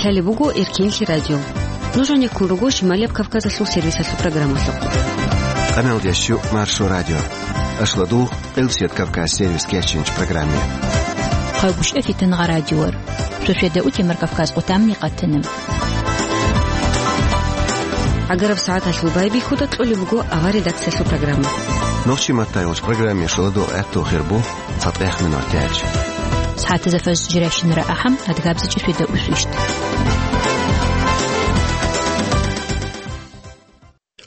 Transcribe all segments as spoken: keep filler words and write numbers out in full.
Лъалеб буго Эркинлъи радио. Нуж гьанеккун руго Шималияб Кавказалъул сервисалъул программалъухъ. Къаналдящу Маршо радио. Ашладул Къилсият Кавказ сервис кечинч программе. Хъагушев Фитнагъа радиор. Шошеда утемар Кавказ къутамни къатана. Агараб сагӀаталъул байбихьуда кьолеб буго авар редакциялъул программа. Нохчи маттайолч программе шоладул гӀатту хирбу. ЦатӀех минутач. СагӀатазда фажр жирашинра ахӀам, адгабзичӀи шведа усвищт.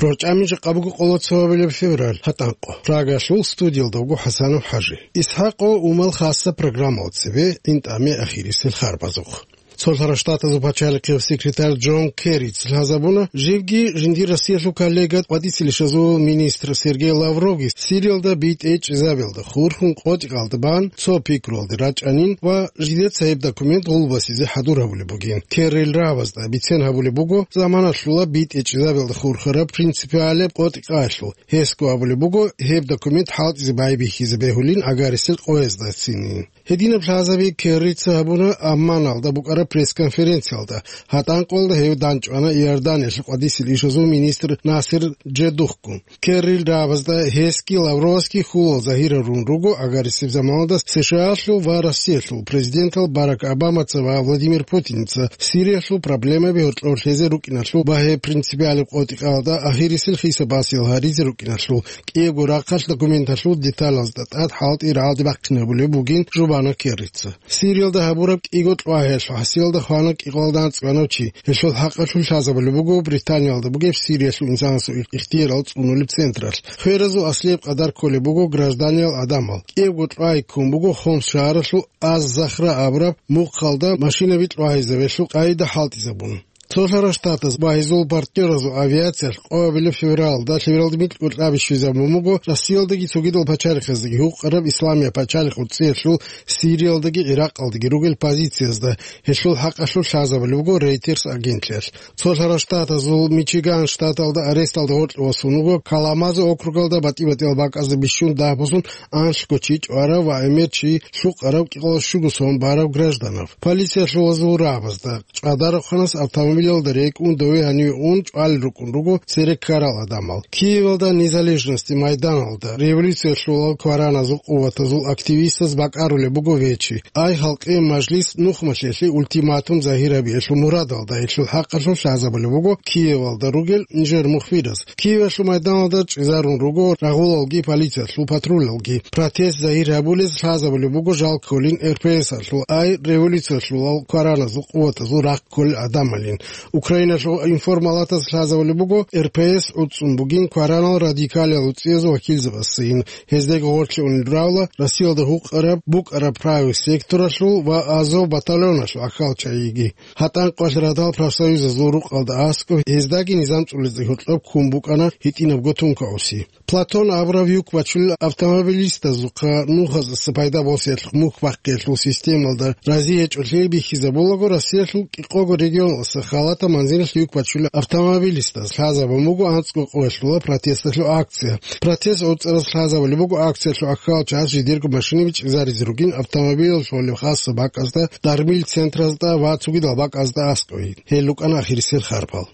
РорчӀами жакъа буго къоло цоабилеб февраль, гьатӀанкъо. Прагалъул студиялда вуго ХӀасанов ХӀажи. ИсхӀакъо Умал хасса программал цебе, ин тӀаме ахирисел харбазухъ. Цолъарав Штатазул пачалихъев секретарь Джон Керрица лъазабуна, живги жиндир Россиялъул коллега къватӀисел ишазул министр Сергей Лавровги Сириялда битӀе чӀезабиялда хурхун къотӀикъалда бан цо пикруялде рачӀанин ва жидеца гьеб документ гъулбасизе хӀадур гьабулеб бугин. Керрил рагӀабазда бицен гьабулеб буго заманалъула битӀе чӀезабиялда хурхараб принципиалаб къотӀикъаялъул. Гьесго абулеб буго, гьеб документ хӀалтӀизе байбихьизе бегьулин агарисел къояздацинин. Гьединаб лъазаби Керрица гьабуна Амманалда букӀараб пресс-конференциялда. ГьатӀанкъолда гьев данчӀвана Иорданиялъул къватӀисел ишазул министр Насер Джедухгун. Керрил рагӀабазда гьесги Лавровасги хьулал загьирарун руго агарисеб заманалда СШАлъул ва Россиялъул президентал Барак Обамаца ва Владимир Путинца Сириялъул проблемаби гьоркьор лъезе рукӀиналъул ва гьеб принципиалаб къотӀикъалда ахирисел хиса-басиял гьаризе рукӀиналъул. КӀиябго рахъалъ документалъул деталазда тӀад хӀалтӀи рагӀалде бахъинабулеб бугин, жубана Керрица. Сириялда гьабураб кӀиго кьвагьиялъул хӀасиялда хвана кӀикъоялда анцӀгоялда чи. Гьелъул хӀакъалъулъ лъазабулеб буго Британиялда бугеб Сириялъул инсанасул ихтиярал цӀунулеб централъ. Хверазул аслияб къадар кколеб буго гражданиял гӀадамал. КӀиябго кьвагьи ккун буго Хомс шагьаралъул Аз-Захра абураб мухъалда машинаби кьвагьизабиялъул къайда хӀалтӀизабун. Цолъарав Штатаз ва гьезул партнёразул авиациялъ къоабилеб февралда лъивалда микьго кьаби щвезабун буго Россиялдаги цогидал пачалихъаздаги гьукъараб Исламияб пачалихъ уцӀиялъул Сириялдаги ГӀиракъалдаги ругел позициязда. Гьелъул хӀакъалъулъ лъазабулеб буго Reuters агентлъиялъ. Цолъарав Штатазул Мичиган штаталда аресталда гъоркье васун вуго Каламазу округалда батӀи-батӀиял бакӀазда бищун дагьаб-босун анлъго чи чӀварав ва гӀемер чи лъукъараб кӀикъоялда щуго сон барав гражданав. Полициялъул вазул рагӀабазда ЧӀадарахъанас автомобилалда рекӀун дове гьаниве ун чӀвалел рукӀун руго цере ккарал гӀадамал. Киевалда Незалежности майданалда революциялъулал квараназул къуватазул активистаз бакӀарулеб буго вечи. Ай халкъи мажлис нухмалъелъе ультиматум загьир гьабиялъул мурадалда гьелъул хӀакъалъулъ лъазабулеб буго Киевалда ругел нижер мухбираз. Киевалъул майданалда чӀезарун руго рагъулалги полициялъул патрулалги. Протест загьир гьабулез лъазабулеб буго жал кколин РПС-алъул, ай революциялъулал квараназул къуватазул рахъ кколел гӀадамалин. Украиналъул информалатаз лъазабулеб буго РПС гӀуцӀцӀун бугин кваранал радикалиял уцӀиязул вакилзабассайин. Гьездаги гъорлъе унел равла Россиялда гьукъараб букӀараб правый секторалъул ва Азов батальоналъул ахьал чагӀиги. ГьатӀанкъоялъ радал профсоюзазул рукъалда аскӀоб гьездаги низам цӀулизе гьоркьоб ккун букӀана гьитӀинабго тункаоси. Платон абурав юк бачулел автомобилистазухъа нухазаса пайда босиялъухъ мухь бахъиялъул системалда рази гьечӀолъи бихьизабулаго, Россиялъул кӀикъого регионалъа халатаб манзилалъ юк бачулел автомобилистаз лъазабун буго анцӀго къоялъула протесталъул акция. Протест гӀуцӀараз лъазабулеб буго акциялъул ахьал час жидерго машинаби чӀезаризе ругин автомобилалъулеб хасса бакӀазда, дармил центразда ва цогидал бакӀазда аскӀове. Гьел рукӀана ахирисел харпал.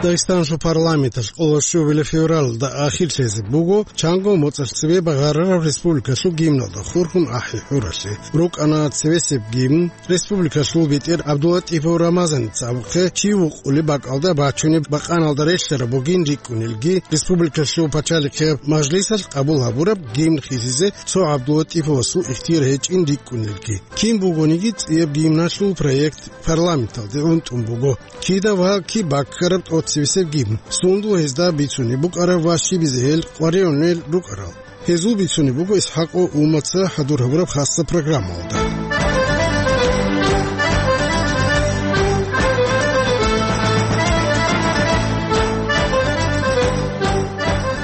Дагъистаналъул парламенталъ къоло щуабилеб февралда ахирлъизе буго чанго моцӀалъ цебе багъарараб республикалъул гимналда хурхун ахӀи хӀуралъе. РукӀана цевесеб гимн, республикалъул бетӀер ГӀабдулатӀипов Рамазаница абухъе чи вукъулеб бакӀалда бачунеб бакъаналда релълъараб бугин рикӀкӀунелги, республикалъул пачалихъияб мажлисалъ къабул гьабураб гимн хисизе цо ГӀабдулатӀиповасул ихтияр гьечӀин рикӀкӀунелги. Кин бугониги цӀияб гимналъул проект парламенталде унтӀун буго. Кида ва киб баккараб тӀоцебесеб гимн, сундул гьезда бицунеб букӀараб ва щибизе гьел къваригӀунел рукӀарал. Гьезул бицунеб буго ИсхӀакъо Умаца хӀадур гьабураб хасса программалда.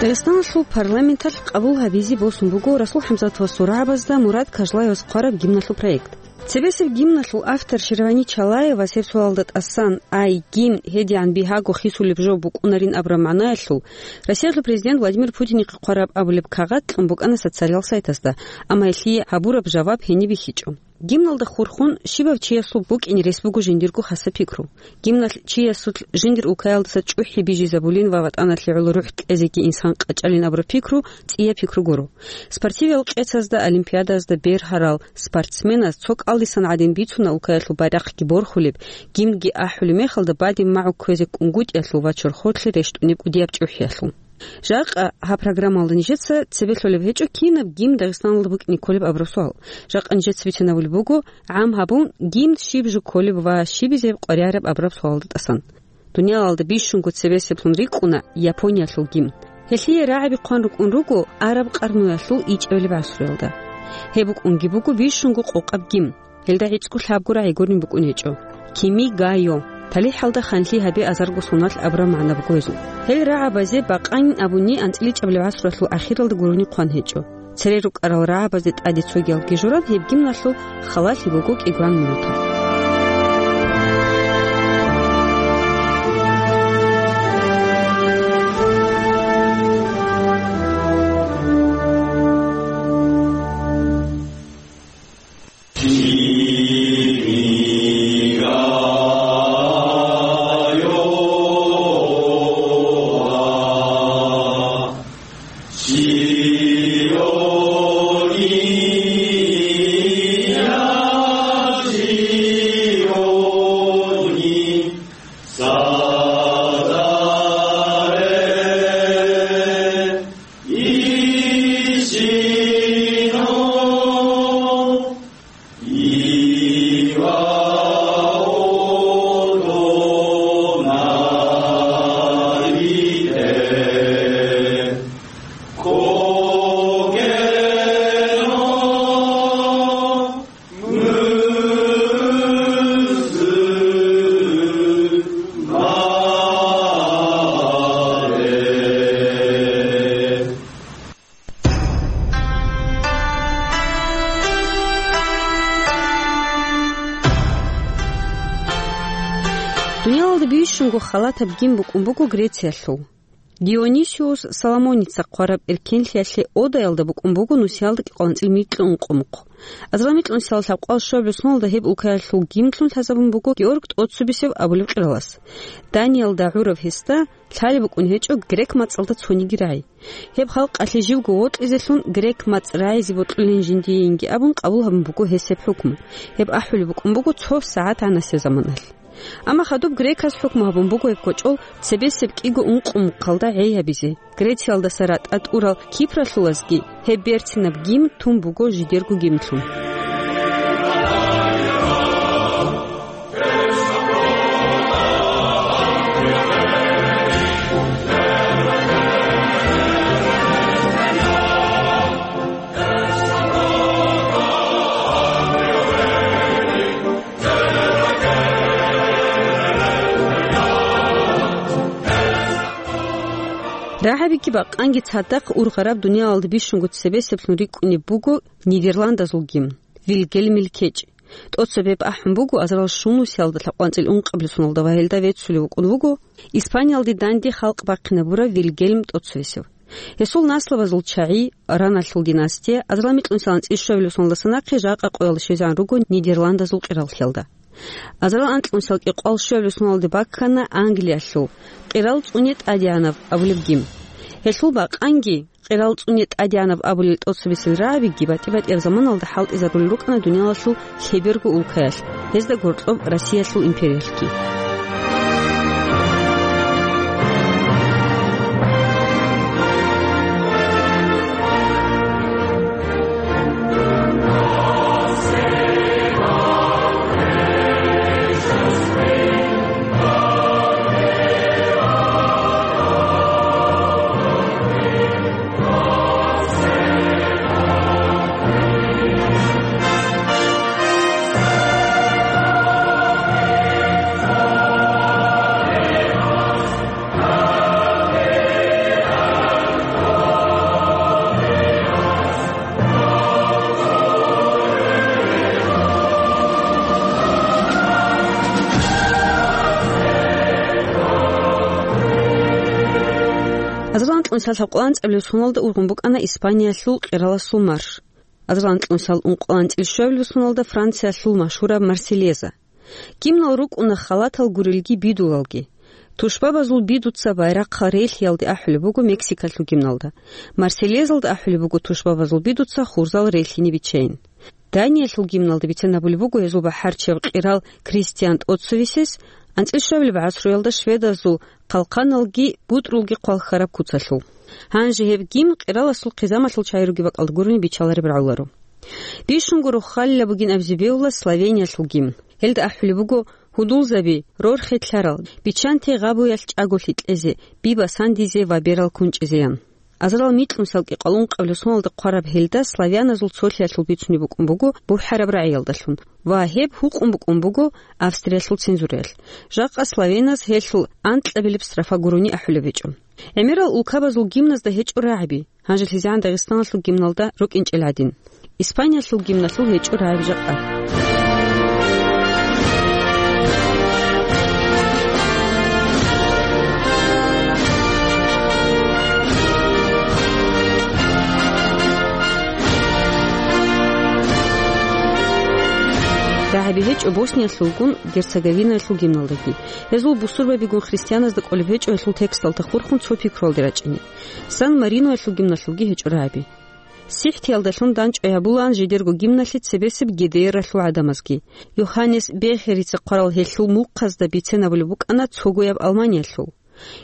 Дагъистаналъул парламенталъ къабул гьабизе босун буго Расул ХӀамзатовасул рагӀабазда Мурад Кажлаевас хъвараб гимналъул проект. Цебесеб гимналъул автор Шервани Чалаевас гьеб суалда тӀасан, ай, гимн гьедигӀан бигьаго хисулеб жо букӀунарин абураб магӀнаялъул, Россиялъул президент Владимир Путинихъе хъвараб абулеб кагъат кьун букӀана социалал сайтазда, амма гьелъие гьабураб жаваб гьениб бихьичӀо. Гимналда хурхун, щибав чиясул букӀине рес буго жиндирго хасаб пикру. Гимналъ чиясулъ жиндир улкаялдаса чӀухӀи бижизабулин ва ватӀаналъе гӀоло рухӀ кьезеги инсан къачӀалин абураб пикру цӀияб пикру гуро. Спортивал къецазда, олимпиадаязда бергьарал спортсменаз цо кӀалдисан гӀадин бицуна улкаялъул байрахъги борхулеб, гимнги ахӀулеб мехалда бадиб магӀу кквезе кӀунгутӀиялъул ва чорхолъе рещтӀунеб кӀудияб чӀухӀиялъул. Жакъа гьаб программалда нижеца цебе лъолеб гьечӀо кинаб гимн Дагъистаналда букӀине кколеб абураб суал. Жакъа нижеца бицинабулеб буго, гӀам гьабун, гимн щиб жо кколеб ва щибизе къваригӀараб абураб суалда тӀасан. Дуниялалда бищунго цебесеблъун рикӀкӀуна Япониялъул гимн. Гьелъие рагӀаби хъван рукӀун руго араб къарнуялъул ичӀабилеб гӀасруялда. Гьеб букӀунги буго бищунго къокъаб гимн. Гьелда гӀицӀго лъабго рагӀи гурин букӀун гьечӀо: «Кими га йо», «ТалихӀалда ханлъи гьабе азарго соналъ» абураб магӀна буго гьезул. Гьел рагӀабазе бакъанин абуни анцӀила ичӀабилеб гӀасруялъул ахиралда гурони хъван гьечӀо. Цере рукӀарал рагӀабазде тӀаде цогиялги журан, гьеб гимналъул халалъи буго кӀигван минутал. Дуниялалда бищунго халатаб гимн букӀун буго Грециялъул. Дионисиус Соломоница хъвараб эркенлъиялъе Одаялда букӀун буго нусиялда кӀикъоялда анцӀила микьго ункъо мухъ. Азарилан микьнусиялда лъабкъоялда щуабилеб соналда гьеб улкаялъул гимнлъун лъазабун буго Георг ТӀоцебесев абулеб къиралас. Даниял ДагӀурав гьесда лъалеб букӀун гьечӀо грек мацӀалда цониги рагӀи. Гьеб халкъалъе живго вокьизелъун грек мацӀ рагӀизе бокьулин жиндиеинги абун къабул гьабун буго гьес гьеб хӀукму. Гьеб ахӀулеб букӀун буго цо сагӀат гӀанасеб заманалъ. Амма хадуб греказ хӀукму гьабун буго гьеб кочӀол цебесеб кӀиго ункъо мухъалда гӀей гьабизе. Грециялдаса ратӀа тӀурал кипралъулазги гьеб берцинаб гимн тун буго жидерго гимнлъун. РагӀабиги бакъанги цадахъ ургъараб дуниялалда бищунго цебесеблъун рикӀкӀунеб буго Нидерландазул гимн, Вильгельмил кечӀ. ТӀоцебе ахӀун буго азарал щунусиялда лъабкъоялда анцӀила ункъабилеб соналда ва гьелда веццулев вукӀун вуго Испаниялде данде халкъ бахъинабурав Вильгельм ТӀоцебесев. Гьесул наслабазул чагӀи, Раналъул династия, азарил микьнусиялда анцӀила щуабилеб соналдаса нахъе жакъа къоялда щвезегӀан руго Нидерландазул къираллъиялда. Азарил анкьнусиялда кӀикъоялда щуабилеб соналде баккана Англиялъул «Къирал цӀуне тӀадегӀанав» абулеб гимн. Гьелъул бакъанги, «Къирал цӀуне тӀадегӀанав» абулел тӀоцебесел рагӀабиги батӀи-батӀияб заманалда хӀалтӀизарулел рукӀана дуниялалъул лъеберго улкаялъ, гьезда гьоркьоб Россиялъул империялъги. Азарилан кьунсал гьабкъулан цӀабилеб соналда ургъун букӀана Испаниялъул къираласул марш. Азарилан кьунсал ункъулан цӀилъ щуабилеб соналда Франциялъул машгьураб Марсельеза. Гимнал рукӀуна халатал гурелги бидулалги. Тушбабазул бидуца байрахъал релълъиялде ахӀулеб буго Мексикалъул гимналда. Марсельезалда ахӀулеб буго тушбабазул бидуца хурзал релълъине биччайин. Даниялъул гимналда бицен гьабулеб буго гьезул бахӀарчияв къирал Кристиан тӀоцевесес, анцӀил щуабилеб гӀасруялда шведазул хъалхъаналги бутӀрулги хъвалхьараб куцалъул. Гьанже гьеб гимн къираласул хъизамалъул чагӀи ругеб бакӀалда гурони биччалареб рагӀуларо. Бищунго рохалила бугин абизе бегьула Словениялъул гимн. Гьелда ахӀулеб буго гьудулзаби, рорхи лъарал, биччанте гъабуялъ чӀаголъи кьезе, би басандизе ва берал кунчӀезеян. Азарилан микьнусал кӀикъоялда ункъабилеб соналда хъвараб гьелда славяназул цолъиялъул бицунеб букӀун буго бухӀараб рагӀиялдалъун ва гьеб гьукъун букӀун буго Австриялъул цензураялъ. Жакъа славяназ гьелъул анкьабилеб строфа гурони ахӀулеб гьечӀо. ГӀемерал улкабазул гимназда гьечӀо рагӀаби, гьанже лъизегӀан Дагъистаналъул гимналда рукӀинчӀел гӀадин. Испаниялъул гимналъул гьечӀо рагӀаби жакъа. РагӀаби гьечӀо Босниялъулгун Герцеговинаялъул гимналдаги. Гьезул бусурбабигун христианазда кӀолеб гьечӀо гьелъул тексталда хурхун цо пикруялде рачӀине. Сан-Мариноялъул гимналъулги гьечӀо рагӀаби. СихӀтиялдалъун дандчӀвай гьабулаан жидерго гимналъе цебесеб ГДР-алъул гӀадамазги. Йоханнес Бехерица хъварал гьелъул мухъазда бицен гьабулеб букӀана цогояб Алманиялъул.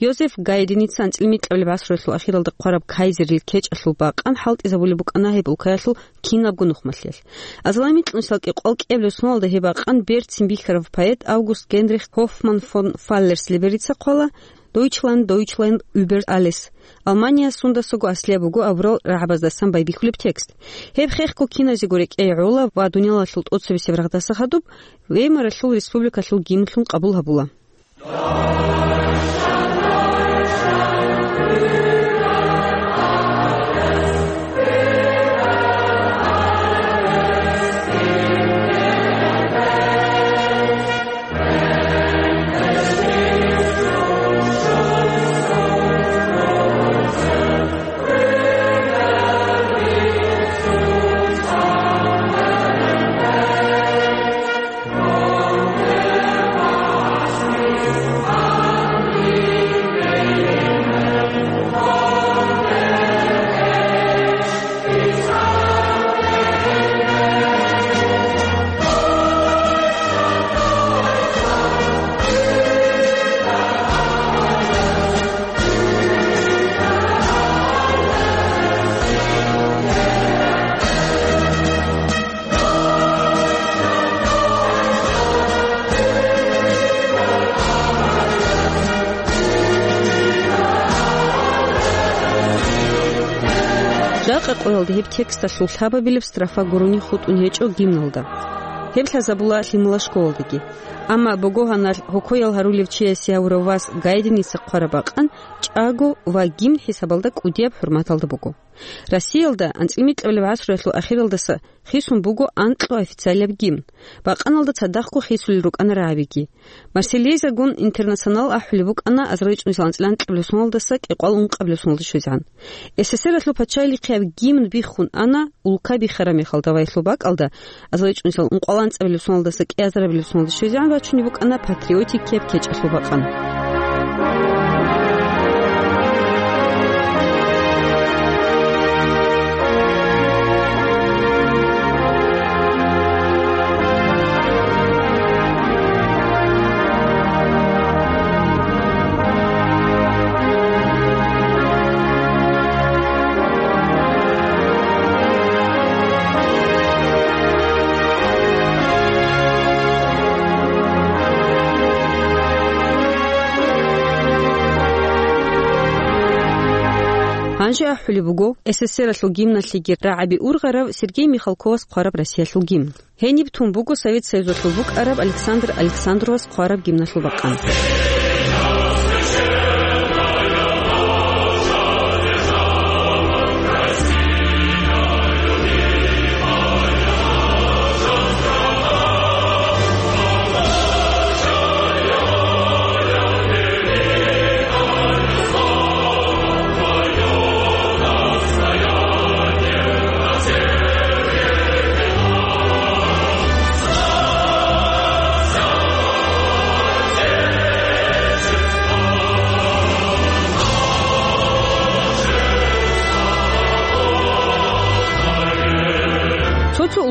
Йозеф Гайденица анцӀил микьабилеб гӀасруялъул ахиралда хъвараб кайзерил кечӀалъул бакъан хӀалтӀизабулеб букӀана гьеб улкаялъул кинабго нухмалъиялъ. Азарилан микьнусал кӀикъоялда кӀиабилеб соналда гьеб бакъан берцин бихьарав поэт Август Генрих Гофман фон Фаллерс-Либерица хъвала: «Дойчланд, Дойчланд, über alles». «Алмания сундасаго аслияб буго» абурал рагӀабаздасан байбихьулеб текст. Гьеб хехго киназего рекӀее гӀола ва дуниялалъул тӀоцебесеб рагъдаса хадуб Веймаралъул республикалъул гимнлъун къабул гьабула. Жакъа къоялда гьеб тексталъул лъабабилеб строфа гурони хутӀун гьечӀо гимналда. Гьеб лъазабула лъимала школалдаги. Амма богогьаналъ гьокоял гьарулев чиясе гьавурав вас Гайденица хъвараб бакъан чӀаго ва гимн хӀисабалда кӀудияб хӀурматалда буго. Россиялда анцӀил микьабилеб гӀасруялъул ахиралдаса хисун буго анкьго официалияб гимн. Бакъаналда цадахъго хисулел рукӀана рагӀабиги. Марсельезагун Интернационал ахӀулеб букӀана азарилан микьнусал анцӀил анкьабилеб соналдаса кӀикъоялда ункъабилеб соналда щвезегӀан. СССР-алъул пачалихъияб гимн биххун ана, улка бихараб мехалда ва гьелъул бакӀалда азарилан микьнусал ункъоялда анцӀабилеб соналдаса кӀиазарабилеб соналда щвезегӀан рачунеб букӀана патриотик ккеб кечӀалъул бакъан. Гьанже ахӀулеб буго СССР-алъул гимналъеги рагӀаби ургъарав Сергей Михалковас хъвараб Россиялъул гимн. Гьениб тун буго Совет Союзалъул букӀараб Александр Александровас хъвараб гимналъул бакъан.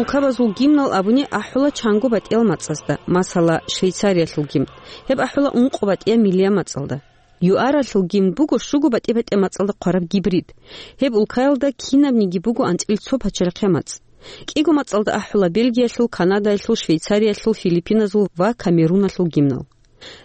Улкабазул гимнал абуни ахӀула чанго батӀиял мацӀазда, масала, Швейцариялъул гимн. Гьеб ахӀула ункъо батӀияб миллияб мацӀалда. ЮАРалъул гимн буго щуго батӀи-батӀияб мацӀалда хъвараб гибрид. Гьеб улкаялда кинабниги буго анцӀил цо пачалихъе мацӀ. КӀиго мацӀалда ахӀула Бельгиялъул, Канадаялъул, Швейцариялъул, Филиппиназул ва Камеруналъул гимнал.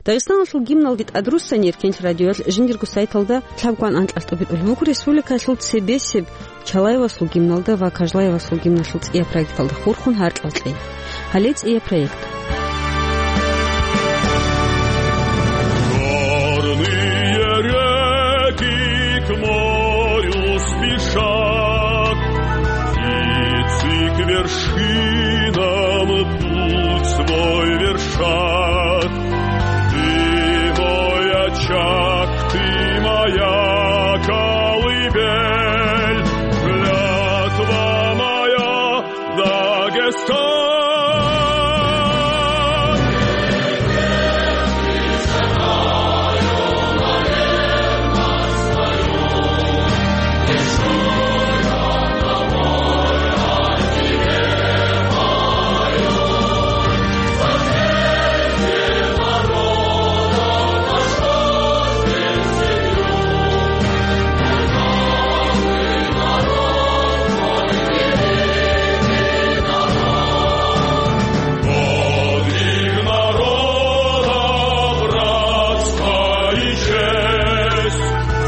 Дагъистаналъул гимналги тӀадруссани Эркенлъ радиоялъ жиндирго сайталда лъабгван анкьалъ тӀубитӀулеб буго республикаялъул цебесеб Чалаевасул гимналда ва Кажлаевасул гимналъул цӀияб проекталда хурхун гьаркьал кьей. Гьале цӀияб проект. Горные реки к морю спешат, птицы к вершинам путь свой вершат. Ты мой очаг, ты моя колыбель, клятва моя, Дагестан.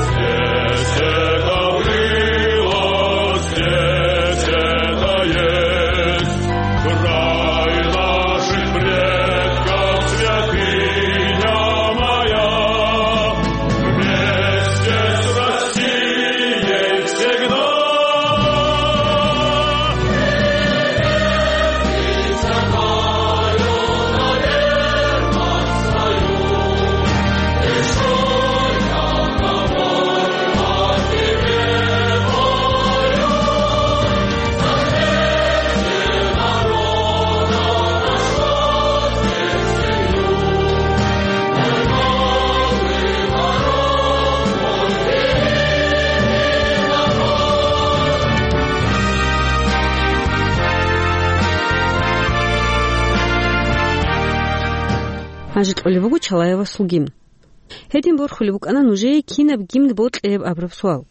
Здесь это было, здесь это есть. Край наших предков, святыня моя, вместе с Россией всегда. Гьанже кьолеб буго Чалаевасул гимн. Гьедин борхулеб букӀана нужее кинаб гимн бокьилеб абураб суал.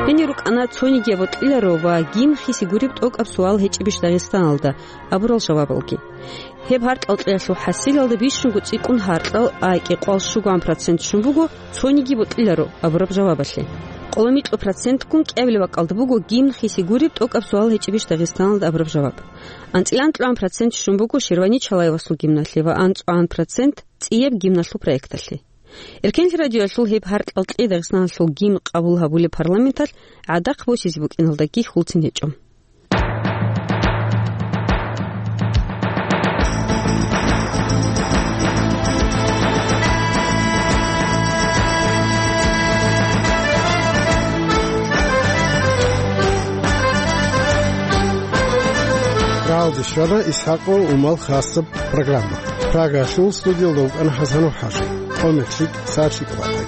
Гьенир рукӀана цониги абу кьиларо ва гимн хиси гуреб тӀокӀаб суал гьечӀебищ Дагъистаналда абурал жавабалги. Гьеб гьаркьал кьеялъул хӀасилалда бищунго цӀикӀкӀун гьаркьал, а кӀикъоялда щугоан процент щун буго, цониги бокьиларо абураб жавабалъе. Къоло микьго процентгун кӀиабилеб бакӀалда буго гимн хиси гуреб тӀокӀаб суал гьечӀебищ Дагъистаналда абураб жаваб. АнцӀила анкьабилеб процент щун буго Шервани Чалаевасул гимналъе ва анцӀабилеб процент цӀияб гимналъул проекталъе. Эркенлъи радиоялъул гьеб гьаркьал кьей Дагъистаналъул гимн къабул гьабулеб парламенталъ гӀадахъ босизе букӀиналдаги хьулцин гьечӀо. Рагьалде щвела ИсхӀакъ ва Умал хасаб программа. Прагаялъул студиялда вукӀана ХӀасанов ХӀажи. Къо-мехлъи, сагӀатлъи кӀалъай.